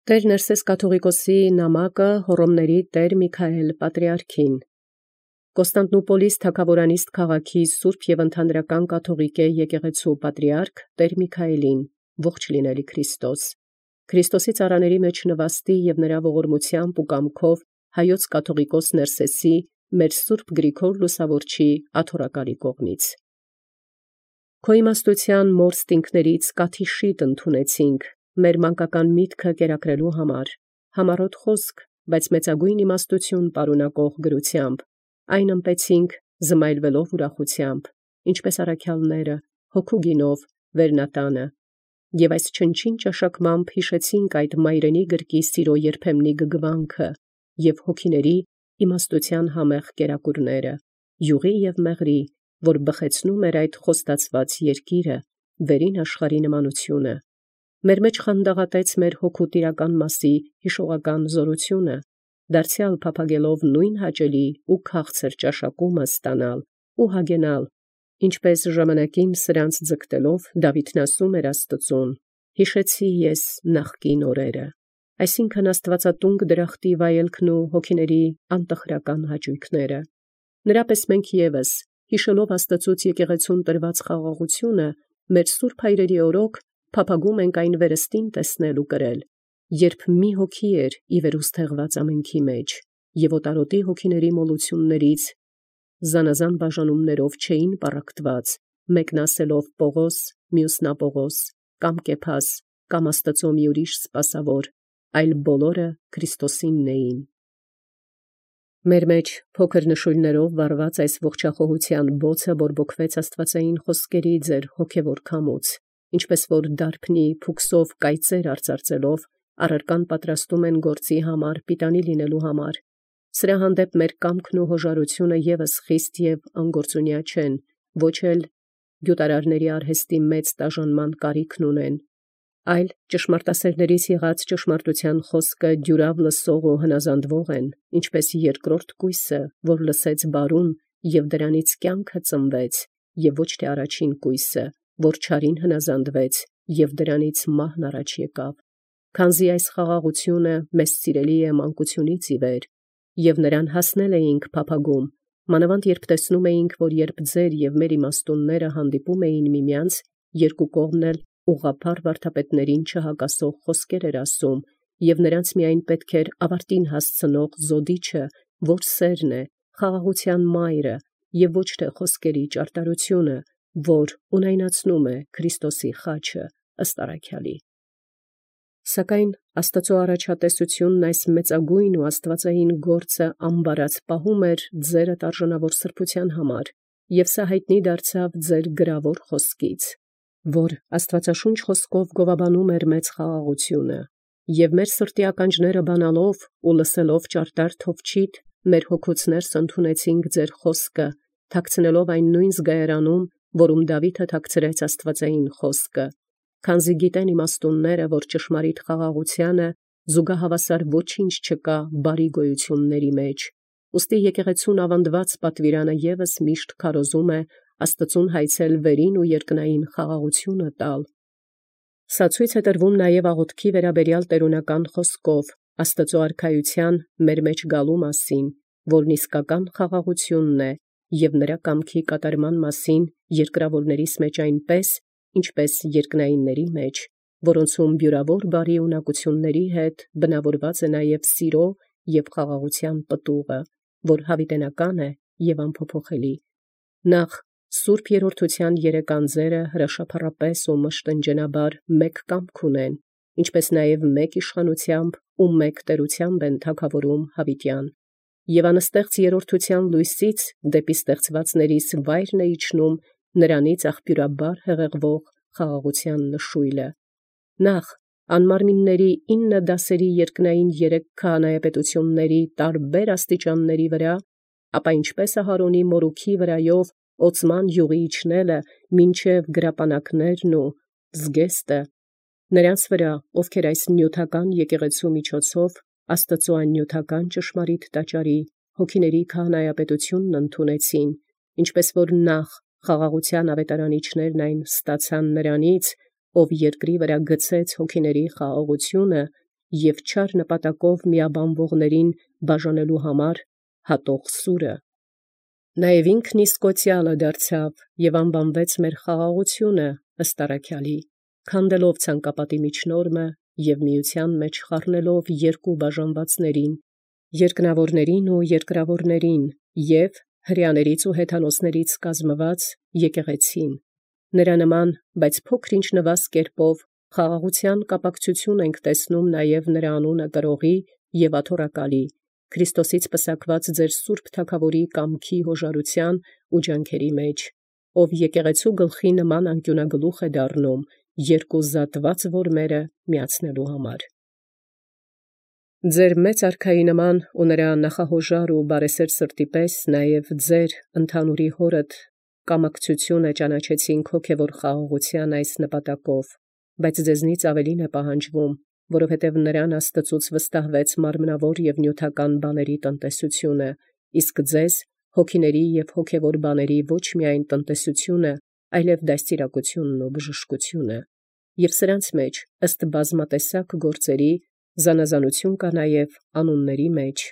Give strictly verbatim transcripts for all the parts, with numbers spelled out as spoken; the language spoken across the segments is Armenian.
Տեր Ներսես կաթողիկոսի նամակը Հոռոմների Տեր Միքայել պատրիարքին։ Կոստանդնուպոլիս թագաւորանիստ քաղաքի սուրբ և ընդհանրական կաթողիկե եկեղեցու պատրիարք Տեր Միքայելին, ողջ լինելի Քրիստոս, Քրիստոսի ծառաների մեջ նվաստի և նրա ողորմությամբ ու կամքով հայոց կաթողիկոս Ներսեսի մեր սուրբ Գրիգոր Լուսավորչի աթոռակալի կողմից։ Քո իմաստութեան մորստինքներից կաթիշիտ ընդունեցինք, մեր մանկական միտքը կերակրելու համար, համառոտ խոսք, բայց մեծագույն իմաստություն պարունակող գրությամբ, այն ըմպեցինք զմայլվելով ուրախությամբ, ինչպես առաքյալները, հոգու գինով, վերնատանը, և այս չնչին ճաշակմամբ հիշեցինք այդ մայրենի գրկի սիրո երբեմնի գգվանքը և հոգիների իմաստության համեղ կերակուրները, յուղի և մեղրի, որ բխեցնում էր այդ խոստացված երկիրը, վերին աշխարհի նմանությունը, մեր մեջ խանդաղատեց մեր հոգու տիրական մասի հիշողական զորությունը, դարձյալ փափագելով նույն հաճելի ու քաղցր ճաշակումը ստանալ ու հագենալ, ինչպես ժամանակին սրանց ձգտելով Դավիթն ասում էր Աստծուն. «Հիշեցի ես նախկին օրերը», այսինքն աստվածատունկ դրախտի վայելքն ու հոգիների անտխրական հաճույքները։ Նրապես մենք ևս, հիշելով Աստծուց եկեղեցուն տրված խաղաղությունը, մեր սուրբ հայրերի օրոք փափագում ենք այն վերստին տեսնել ու կրել, երբ մի հոգի էր ի վերուսթեղված ամենքի մեջ, և օտարոտի հոգիների մոլություններից զանազան բաժանումներով չէին պառակտված, մեկն ասելով Պողոս, մյուսն Ապողոս, կամ Կեփաս, կամ Աստծո մի ուրիշ սպասավոր, այլ բոլորը Քրիստոսինն էին։ Մեր մեջ փոքր նշույլներով վառված այս ողջախոհության բոցը բորբոքվեց աստվածային խոսքերի ձեր հոգևոր քամուց, ինչպես որ դարբնի փուքսով կայծեր արծարծելով առարկան պատրաստում են գործի համար պիտանի լինելու համար։ Սրա հանդեպ մեր կամքն ու հոժարությունը ևս խիստ և անգործունյա չեն, ոչ էլ գյուտարարների արհեստի մեծ տաժանման կարիքն ունեն, այլ ճշմարտասերներից եղած ճշմարտության խոսքը դյուրավ լսող ու հնազանդվող են, ինչպես երկրորդ կույսը, որ լսեց բարուն և դրանից կյանքը ծնվեց, և ոչ թե առաջին կույսը, որ չարին հնազանդվեց և դրանից մահն առաջ եկավ։ Քանզի այս խաղաղությունը մեզ սիրելի է մանկությունից ի վեր, և նրան հասնել էինք փափագում, մանավանդ երբ տեսնում էինք, որ երբ ձեր և մեր իմաստունները հանդիպում էին միմյանց, երկու կողմն էլ ուղղափառ վարդապետներին չհակասող խոսքեր էր ասում, և նրանց միայն պետք էր ավարտին հասցնող զոդիչը, որ սերն է, խաղաղության մայրը, և ոչ թե խոսքերի ճարտարությունը, որ ունայնացնում է Քրիստոսի խաչը, ըստ առաքյալի։ Սակայն Աստծո առաջատեսությունն այս մեծագույն ու աստվածային գործը ամբարած պահում էր ձերդ արժանավոր սրբության համար, և սա հայտնի դարձավ ձեր գրավոր խոսքից, որ աստվածաշունչ խոսքով գովաբանում էր մեծ խաղաղությունը, և մեր սրտի ականջները բանալով ու լսելով ճարտար թովչիտ, մեր հոգուց ներս ընդունեցինք ձեր խոսքը, թաքցնելով այն նույն զգայարանում, որում Դավիթը թաքցրեց աստվածային խոսքը, քանզի գիտեն իմաստունները, որ ճշմարիտ խաղաղությանը զուգահավասար ոչինչ չկա բարի գոյությունների մեջ, ուստի եկեղեցուն ավանդված պատվիրանը ևս միշտ քարոզում է Աստծուն հայցել վերին ու երկնային խաղաղությունը տալ։ Սա ցույց է տրվում նաև աղոթքի վերաբերյալ տերունական խոսքով Աստծո արքայության մեր մեջ գալու մասին, որն իսկական խաղաղությունն է, և նրա կամքի կատարման մասին երկրավորներիս մեջ այնպես, ինչպես երկնայինների մեջ, որոնցում բյուրավոր բարի ունակությունների հետ բնավորված է նաև սիրո և խաղաղության պտուղը, որ հավիտենական է և անփոփոխելի։ Նախ սուրբ երրորդության երեք անձերը հրաշափառապես ու մշտնջենաբար մեկ կամք ունեն, ինչպես նաև մեկ իշխանությամբ ու մեկ տերությամբ են թագավորում հավիտյան, և անստեղծ երրորդության լույսից դեպի ստեղծվածներիս վայրն է իջնում նրանից աղբյուրաբար հեղեղվող խաղաղության նշույլը։ Նախ անմարմինների ինը դասերի երկնային երեք քահանայապետությունների տարբեր աստիճանների վրա, ապա ինչպես Ահարոնի մորուքի վրայով օծման յուղի իջնելը մինչև գրապանակներն ու զգեստը, նրանց վրա, ովքեր այս նյութական եկեղեցու միջոցով Աստծո աննյութական ճշմարիտ տաճարի հոգիների քահանայապետությունն ընդունեցին, ինչպես որ նախ խաղաղության ավետարանիչներն այն ստացան նրանից, ով երկրի վրա գցեց հոգիների խաղաղությունը, և չար նպատակով միաբանվողներին բաժանելու համար հատող սուրը։ Նաև ինքն իսկ կոծյալը դարձավ և անվանվեց մեր խաղաղությունը ըստ առաքյալի, քանդելով ցանկապատի միջնորմը և միության մեջ խառնելով երկու բաժանվածներին, երկնավորներին ու երկրավորներին և հրեաներից ու հեթանոսներից կազմված եկեղեցին։ Նրա նման, բայց փոքր-ինչ նվազ կերպով խաղաղության կապակցություն ենք տեսնում նաև նրա անունը կրողի և աթոռակալի, Քրիստոսից պսակված ձեր սուրբ թագավորի կամքի հոժարության ու ջանքերի մեջ, ով եկեղեցու գլխի նման անկյունագլուխ է դառնում երկու զատված որմերը միացնելու համար։ Ձեր մեծ արքայի նման ու նրա նախահոժար ու բարեսեր սրտի պես նաև ձեր ընդհանուրի հորդ կամակցությունը ճանաչեցինք հոգևոր խաղաղության այս նպատակով, բայց ձեզնից ավելին է պահանջվում, որովհետև նրան Աստծուց վստահվեց մարմնավոր և նյութական բաների տնտեսությունը, իսկ ձեզ հոգիների և հոգևոր բաների ոչ միայն տնտեսությունը, այլև դաստիարակությունն ու բժշկությունը, և սրանց մեջ ըստ բազմատեսակ գործերի զանազանություն կա նաև անունների մեջ,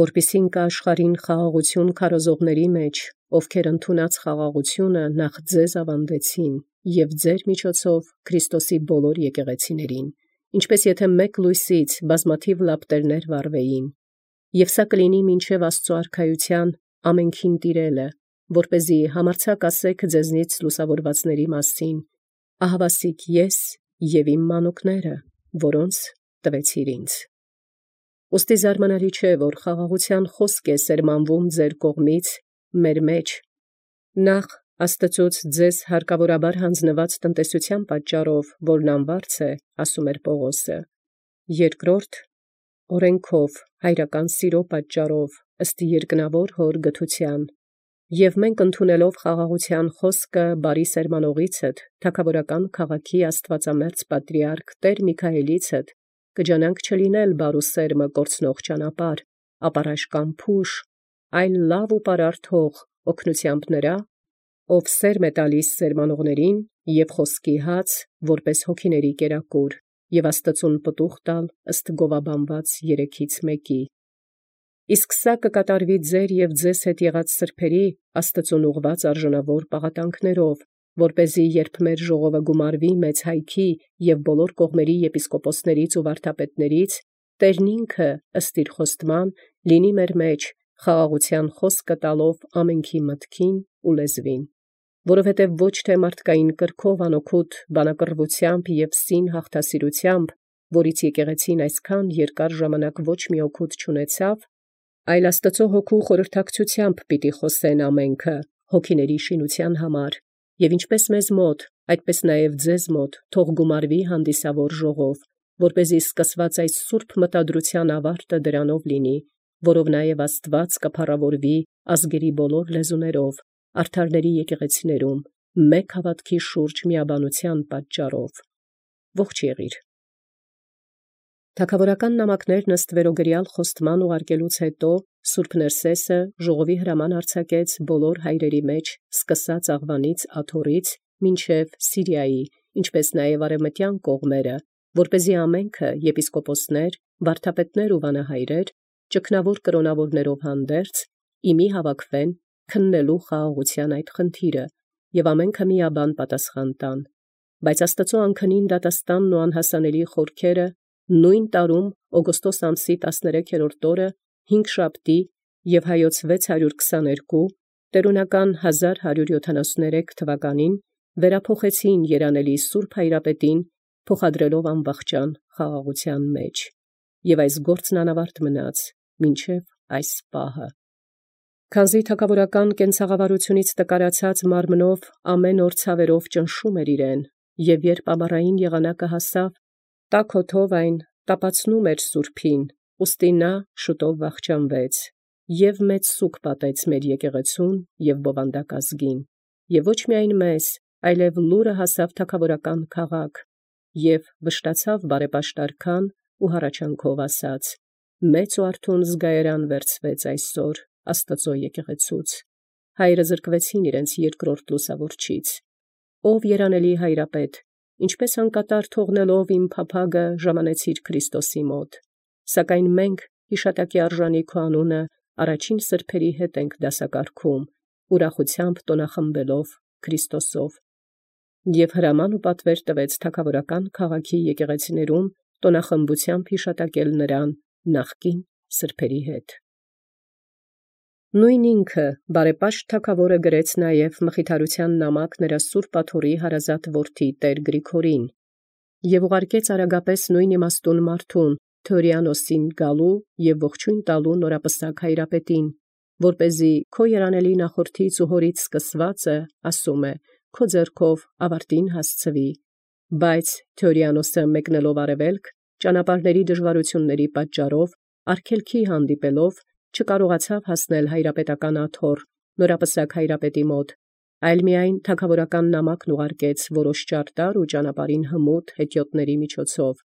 որպեսզի ընկա աշխարհին խաղաղություն քարոզողների մեջ, ովքեր ընդունած խաղաղությունը նախ ձեզ ավանդեցին և ձեր միջոցով Քրիստոսի բոլոր եկեղեցիներին, ինչպես եթե մեկ լույսից բազմաթիվ լապտերներ վառվեին, և սա կլինի մինչև Աստծու արքայության ամենքին տիրելը, որպեսզի համարձակ ասեք ձեզնից լուսավորվածների մասին. «Ահավասիկ ես և իմ մանուկները, որոնց տվեցիր ինձ»։ Ուստի զարմանալի չէ, որ խաղաղության խոսք է սերմանվում ձեր կողմից մեր մեջ, նախ Աստծուց ձեզ հարկավորաբար հանձնված տնտեսության պատճառով, որն անվարձ է, ասում էր Պողոսը, երկրորդ օրենքով հայրական սիրո պատճառով ըստ երկնավոր հոր գթության, և մենք ընդունելով խաղաղության խոսքը բարի սերմանողիցդ, թագավորական քաղաքի աստվածամերձ պատրիարք Տեր Միքայելիցդ, կջանանք չլինել բարու սերմը կորցնող ճանապարհ, ապառաշկան փուշ, այլ լավ ու պարարտ հող օգնությամբ նրա, ով սերմ է տալիս սերմանողներին և խոսքի հաց, որպես հոգիների կերակուր, և Աստծուն պտուղ տալ ըստ գովաբանված երեքից մեկի։ Իսկ սա կկատարվի ձեր և ձեզ հետ եղած սրբերի Աստծուն ուղղված արժանավոր պաղատանքներով, որպեսզի երբ մեր ժողովը գումարվի մեծ հայքի և բոլոր կողմերի եպիսկոպոսներից ու վարդապետներից, Տերն ինքը ըստ իր խոստման լինի մեր մեջ խաղաղության խոսքը տալով ամենքի մտքին ու լեզվին, որովհետև ոչ թե մարդկային կրքով անօգուտ բանակռվությամբ և սին հաղթասիրությամբ, որից եկեղեցին այսքան երկար ժամանակ ոչ մի օգուտ չունեցավ, այլ Աստծու հոգու խորհրդակցությամբ պիտի խոսեն ամենքը հոգիների շինության համար, և ինչպես մեզ մոտ, այդպես նաև ձեզ մոտ թող գումարվի հանդիսավոր ժողով, որպեսզի սկսված այս սուրբ մտադրության ավարտը դրանով լինի, որով նաև Աստված կփառավորվի ազգերի բոլոր լեզուներով, արդարների եկեղեցիներում, մեկ հավատքի շուրջ միաբանության պատճառով։ Ողջ եղիր։ Թագավորական նամակներն ըստ վերոգրյալ խոստման ուղարկելուց հետո Սուրբ Ներսեսը ժողովի հրաման արձակեց բոլոր հայրերի մեջ, սկսած Աղվանից աթոռից մինչև Սիրիայի, ինչպես նաև արևմտյան կողմերը, որպեսզի ամենքը եպիսկոպոսներ, վարդապետներ ու վանահայրեր, ճգնավոր կրոնավորներով հանդերձ, իմի հավաքվեն քննելու խաղաղության այդ խնդիրը, և ամենքը միաբան պատասխան տան։ Բայց Աստծու անքնին դատաստանն ու անհասանելի խորքերը նույն տարում օգոստոս ամսի տասներեքերորդ օրը հինգշաբթի և հայոց վեց հարյուր քսաներկու տերունական հազար հարյուր յոթանասուներեք թվականին վերափոխեցին երանելի Սուրբ Հայրապետին, փոխադրելով անվախճան խաղաղության մեջ, և այս գործն անավարտ մնաց մինչև այս պահը։ Քանզի թագավորական կենցաղավարությունից տկարացած մարմնով ամեն օր ցավերով ճնշում էր իրեն, և երբ ամառային եղանակը հասավ, տաք օդով այն տապացնում էր սուրբին, ուստի նա շուտով վախճանվեց, և մեծ սուգ պատեց մեր եկեղեցուն և բովանդակ ազգին, և ոչ միայն մեզ, այլև լուրը հասավ թագավորական քաղաք, և վշտացավ բարեպաշտար քան ու հառաչանքով ասաց. «Մեծ ու արթուն զգայարան վերցվեց այսօր Աստծու եկեղեցուց, հայերը զրկվեցին իրենց երկրորդ լուսավորչից, ով երանելի Հայրապետ, ինչպես անկատար թողնելով իմ փափագը ժամանեցիր Քրիստոսի մոտ, սակայն մենք յիշատակի արժանի քո անունը առաջին սրբերի հետ ենք դասակարգում, ուրախությամբ տոնախմբելով Քրիստոսով, և հրաման ու պատվեր տվեց թագաւորական քաղաքի եկեղեցիներում տոնախմբութեամբ յիշատակել նրան նախկին սրբերի հետ։ Նույն ինքը բարեպաշտ թագաւորը գրեց նաև մխիթարության նամակ նրա սուրբ աթոռի հարազատ որդի Տեր Գրիգորին, և ուղարկեց արագապես նույն իմաստուն մարդուն Թևրիանոսին գալու և ողջույն տալու նորապսակ հայրապետին, որպեսզի քո երանելի նախորդից ու հորից սկսվածը, ասում է, քո ձեռքով ավարտին հասցվի, բայց Թևրիանոսը մեկնելով արևելք, ճանապարհների դժվարությունների պատճառով, արգելքի հանդիպելով, չկարողացավ հասնել հայրապետական աթոռ, նորապսակ հայրապետի մոտ, այլ միայն թագաւորական նամակն ուղարկեց որոշ ճարտար ու ճանապարհին հմուտ հետիոտների միջոցով։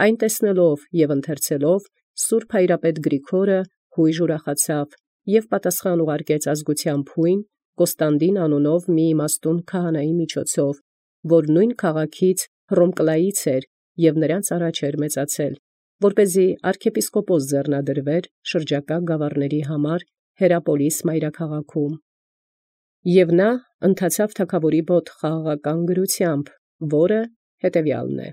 Այն տեսնելով և ընթերցելով, սուրբ հայրապետ Գրիգորը յույժ ուրախացավ և պատասխան ուղարկեց ազգությամբ հույն Կոստանդին անունով մի իմաստուն քահանայի միջոցով, որ նույն քաղաքից Հռոմկլայից էր և նրանց առաջ էր մեծացել, որպեսզի arczepiskopos ձեռնադրվեր շրջակա գավառաց համար Հերապոլիս մայրաքաղաքում։ Եւ նա ընթացավ թագաւորի մոտ խաղաղական գրութեամբ, որը հետևեալն է։